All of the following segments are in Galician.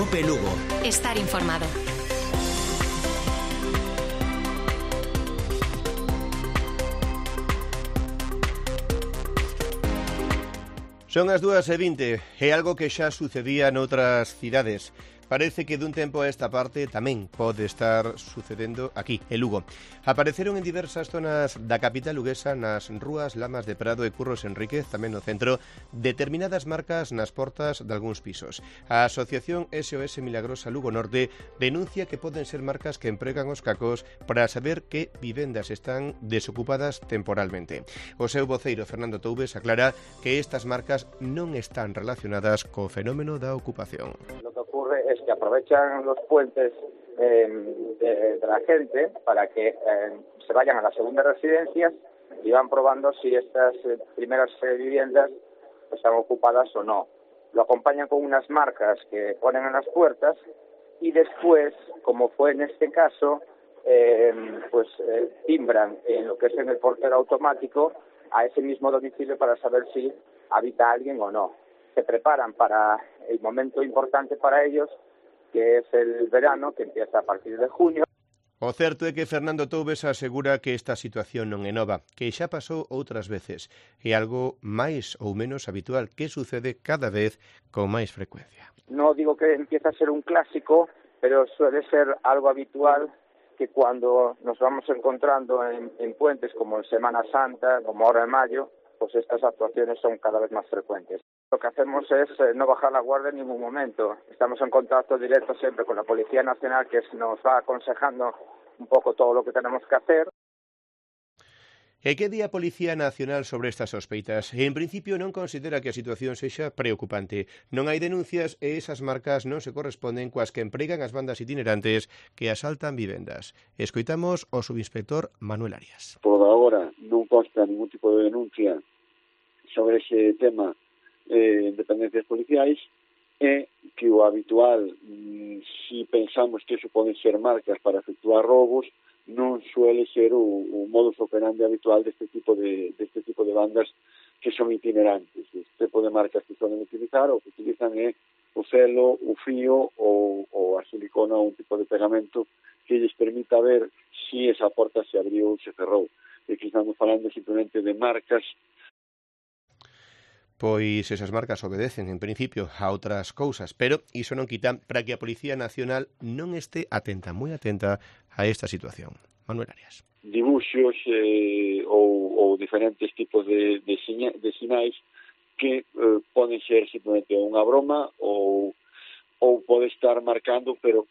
COPE Lugo. Estar informado. Son as 2:20 e algo que xa sucedía noutras cidades. Parece que dun tempo a esta parte tamén pode estar sucedendo aquí, en Lugo. Apareceron en diversas zonas da capital luguesa, nas rúas Lamas de Prado e Curros Enríquez, tamén no centro, determinadas marcas nas portas de algúns pisos. A Asociación SOS Milagrosa Lugo Norte denuncia que poden ser marcas que empregan os cacos para saber que vivendas están desocupadas temporalmente. O seu voceiro, Fernando Toubes, aclara que estas marcas non están relacionadas co fenómeno da ocupación. Lo que ocurre es que aprovechan los puentes de la gente para que se vayan a las segundas residencias y van probando si estas primeras viviendas están ocupadas o no. Lo acompañan con unas marcas que ponen en las puertas y después, como fue en este caso, timbran en lo que es en el portero automático a ese mismo domicilio para saber si habita alguien o no. Se preparan para el momento importante para ellos, que es el verano, que empieza a partir de junio. O certo é que Fernando Toubes asegura que esta situación non é nova, que xa pasou outras veces, e algo máis ou menos habitual que sucede cada vez con máis frecuencia. No digo que empieza a ser un clásico, pero suele ser algo habitual que cuando nos vamos encontrando en puentes como en Semana Santa, como ahora en mayo, pues estas actuaciones son cada vez más frecuentes. Lo que hacemos es no bajar la guardia en ningún momento. Estamos en contacto directo siempre con la Policía Nacional, que nos va aconsejando un poco todo lo que tenemos que hacer. E que di a Policía Nacional sobre estas sospeitas? En principio non considera que a situación sexa preocupante. Non hai denuncias e esas marcas non se corresponden coas que empregan as bandas itinerantes que asaltan vivendas. Escoitamos o subinspector Manuel Arias. Por agora non consta ningún tipo de denuncia sobre ese tema en dependencias policiais, e que o habitual, si pensamos que eso poden ser marcas para efectuar robos, non suele ser o modus operandi habitual deste tipo de bandas que son itinerantes. Este tipo de marcas que suelen utilizar, o que utilizan é o celo, o fío ou a silicona ou un tipo de pegamento que lles permita ver si esa porta se abriu ou se cerrou. E que estamos falando simplemente de marcas. Pois esas marcas obedecen, en principio, a outras cousas, pero iso non quita para que a Policía Nacional non este atenta, moi atenta a esta situación. Manuel Arias. Dibuxos ou diferentes tipos de sinais que poden ser simplemente unha broma ou pode estar marcando, pero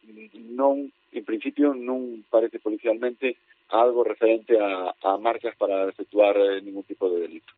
non, en principio, non parece policialmente algo referente a marcas para efectuar ningún tipo de delito.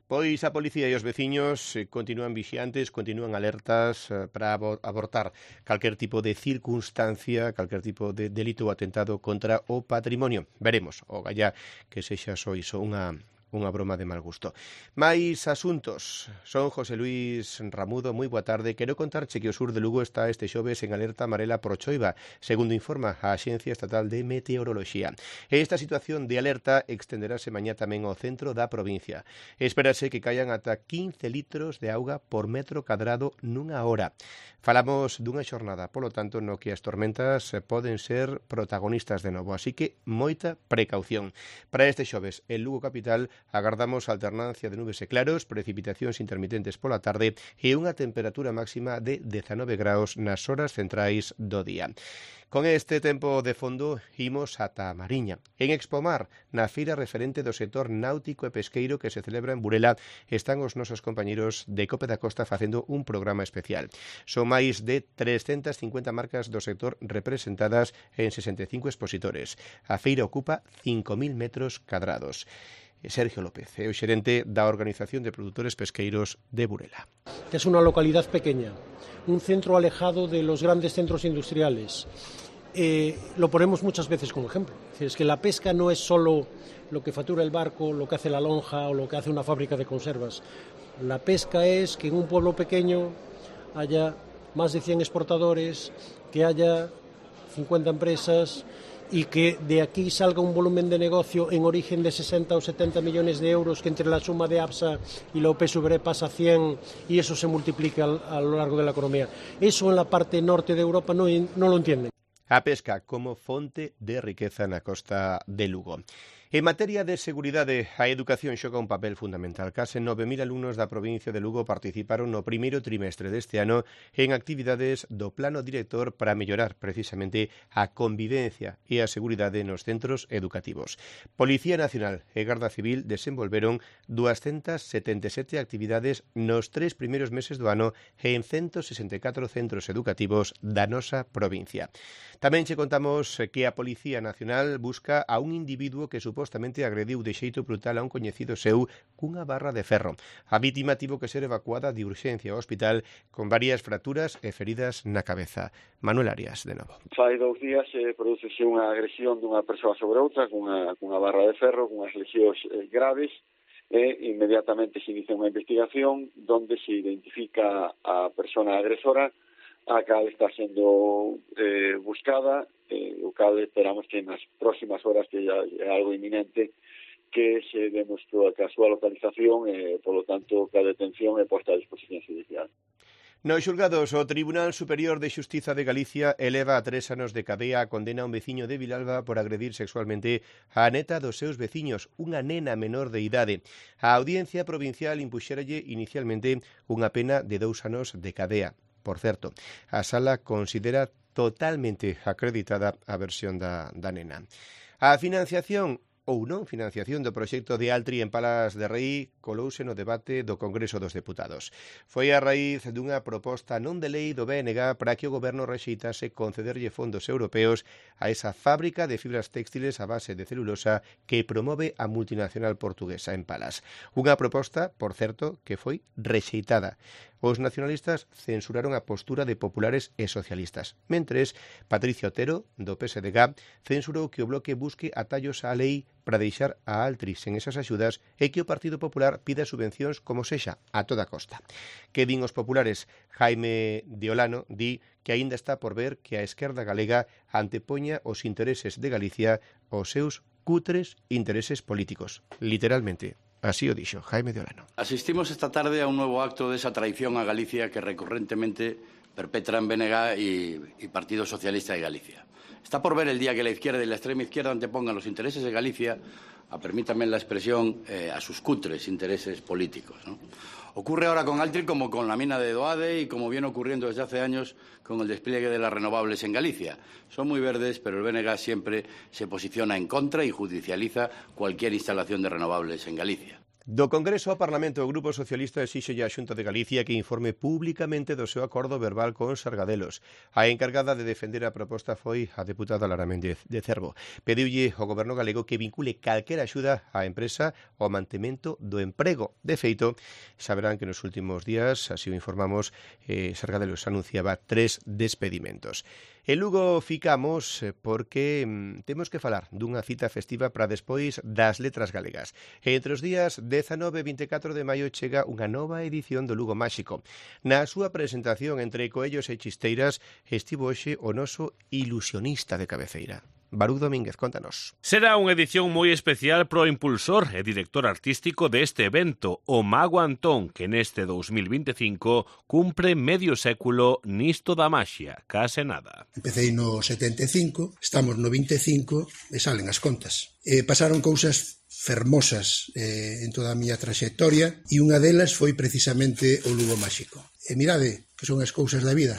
Pois a policía e os veciños continúan vixiantes, continúan alertas para abortar calquer tipo de circunstancia, calquer tipo de delito ou atentado contra o patrimonio. Veremos, o gallá que sexa só iso unha broma de mal gusto. Mais asuntos. Son José Luis Ramudo, moi boa tarde. Quero contarche que o sur de Lugo está este xoves en alerta amarela por choiva, segundo informa a Axencia Estatal de Meteoroloxía. E esta situación de alerta extenderase mañá tamén ao centro da provincia. Espérase que caian ata 15 litros de auga por metro cadrado nunha hora. Falamos dunha xornada, polo tanto, no que as tormentas poden ser protagonistas de novo, así que moita precaución. Para este xoves, en Lugo capital, agardamos alternancia de nubes e claros, precipitacións intermitentes pola tarde e unha temperatura máxima de 19 graus nas horas centrais do día. Con este tempo de fondo, imos ata a Mariña. En Expomar, na feira referente do sector náutico e pesqueiro que se celebra en Burela, están os nosos compañeros de Cope da Costa facendo un programa especial. Son máis de 350 marcas do sector representadas en 65 expositores. A feira ocupa 5.000 metros cadrados. Sergio López, o xerente da Organización de Productores Pesqueiros de Burela. Es una localidad pequeña, un centro alejado de los grandes centros industriales. Lo ponemos muchas veces como ejemplo. Es que la pesca no es solo lo que factura el barco, lo que hace la lonja o lo que hace una fábrica de conservas. La pesca es que en un pueblo pequeño haya más de 100 exportadores, que haya 50 empresas y que de aquí salga un volumen de negocio en origen de 60 o 70 millones de euros, que entre la suma de APSA y la OPSV pasa a 100 y eso se multiplica a lo largo de la economía. Eso en la parte norte de Europa no lo entienden. A pesca como fonte de riqueza na costa de Lugo. En materia de seguridade, a educación xoga un papel fundamental. Case 9.000 alumnos da provincia de Lugo participaron no primeiro trimestre deste ano en actividades do plano director para mellorar precisamente a convivencia e a seguridade nos centros educativos. Policía Nacional e Garda Civil desenvolveron 277 actividades nos 3 primeiros meses do ano en 164 centros educativos da nosa provincia. Tamén che contamos que a Policía Nacional busca a un individuo que supostamente agrediu de xeito brutal a un coñecido seu cunha barra de ferro. A vítima tivo que ser evacuada de urxencia ao hospital con varias fracturas e feridas na cabeza. Manuel Arias, de novo. Fai 2 días prodúcese unha agresión dunha persoa sobre outra cunha barra de ferro, cunhas lesións graves, e inmediatamente se inicia unha investigación donde se identifica a persona agresora, a cal está sendo buscada, o cal esperamos que nas próximas horas, que ya é algo inminente, que se demostrou que a súa localización e, polo tanto, que a detención é posta a disposición judicial. Nos xulgados, o Tribunal Superior de Xustiza de Galicia eleva a 3 anos de cadea a condena a un veciño de Vilalba por agredir sexualmente a neta dos seus veciños, unha nena menor de idade. A Audiencia Provincial impuxéralle inicialmente unha pena de 2 anos de cadea. Por certo, a sala considera totalmente acreditada a versión da nena. A financiación ou non financiación do proxecto de Altri en Palas de Rei colouse no debate do Congreso dos Deputados. Foi a raíz dunha proposta non de lei do BNG para que o goberno rexeitase concederlle fondos europeos a esa fábrica de fibras textiles a base de celulosa que promove a multinacional portuguesa en Palas. Unha proposta, por certo, que foi rexeitada. Os nacionalistas censuraron a postura de populares e socialistas, mentres Patricia Otero, do PSDG, censurou que o bloque busque atallos á lei para deixar a Altri sen esas axudas e que o Partido Popular pida subvencións como sexa a toda costa. Que din os populares? Jaime de Olano di que aínda está por ver que a esquerda galega antepoña os intereses de Galicia aos seus cutres intereses políticos. Literalmente. Así o dixo Jaime de Olano. Asistimos esta tarde a un nuevo acto de esa traición a Galicia que recurrentemente perpetran BNG y Partido Socialista de Galicia. Está por ver el día que la izquierda y la extrema izquierda antepongan los intereses de Galicia, permítanme la expresión, a sus cutres intereses políticos, ¿no? Ocurre ahora con Altri como con la mina de Doade y como viene ocurriendo desde hace años con el despliegue de las renovables en Galicia. Son muy verdes, pero el BNG siempre se posiciona en contra y judicializa cualquier instalación de renovables en Galicia. Do Congreso ao Parlamento, o Grupo Socialista exíxelle á Xunta de Galicia que informe públicamente do seu acordo verbal con Sargadelos. A encargada de defender a proposta foi a deputada Lara Méndez de Cervo. Pediulle ao Goberno galego que vincule calquera axuda á empresa ao mantemento do emprego. De feito, saberán que nos últimos días, así o informamos, Sargadelos anunciaba 3 despedimentos. En Lugo ficamos porque temos que falar dunha cita festiva para despois das letras galegas. Entre os días 19 e 24 de maio chega unha nova edición do Lugo Máxico. Na súa presentación entre coellos e chisteiras estivo hoxe o noso ilusionista de cabeceira. Barú Domínguez, contanos. Será unha edición moi especial pro impulsor e director artístico deste evento, o Mago Antón, que neste 2025 cumpre medio século nisto da maxia, case nada. Empecei no 75, estamos no 25 e salen as contas. Pasaron cousas fermosas en toda a miña traxectoria e unha delas foi precisamente o Lugo Máxico. E mirade que son as cousas da vida.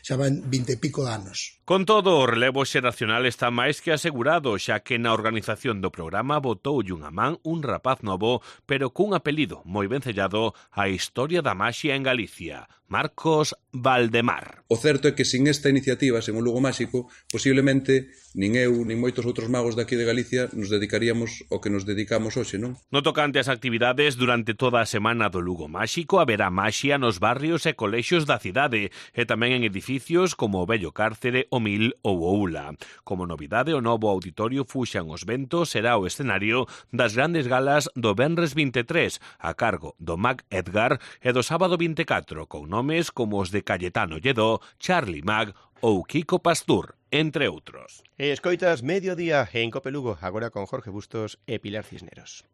Xa van 20 e pico de anos. Con todo, o relevo xeracional está máis que asegurado, xa que na organización do programa botoulle unha man un rapaz novo, pero cun apelido moi vencellado á historia da maxia en Galicia, Marcos Valdemar. O certo é que sin esta iniciativa, sen o Lugo Máxico, posiblemente nin eu, nin moitos outros magos daqui de Galicia nos dedicaríamos ao que nos dedicamos hoxe, non? No tocante ás actividades, durante toda a semana do Lugo Máxico haberá maxia nos barrios e colexios da cidade e tamén en edificios edificios como o Vello Cárcere, o Mil ou o Ula. Como novidade, o novo auditorio Fuxan os Ventos será o escenario das grandes galas do Venres 23, a cargo do Mag Edgar, e do sábado 24, con nomes como os de Cayetano Lledó, Charlie Mag ou Kiko Pastur, entre outros. Escoitas Mediodía en Cope Lugo, agora con Jorge Bustos e Pilar Cisneros.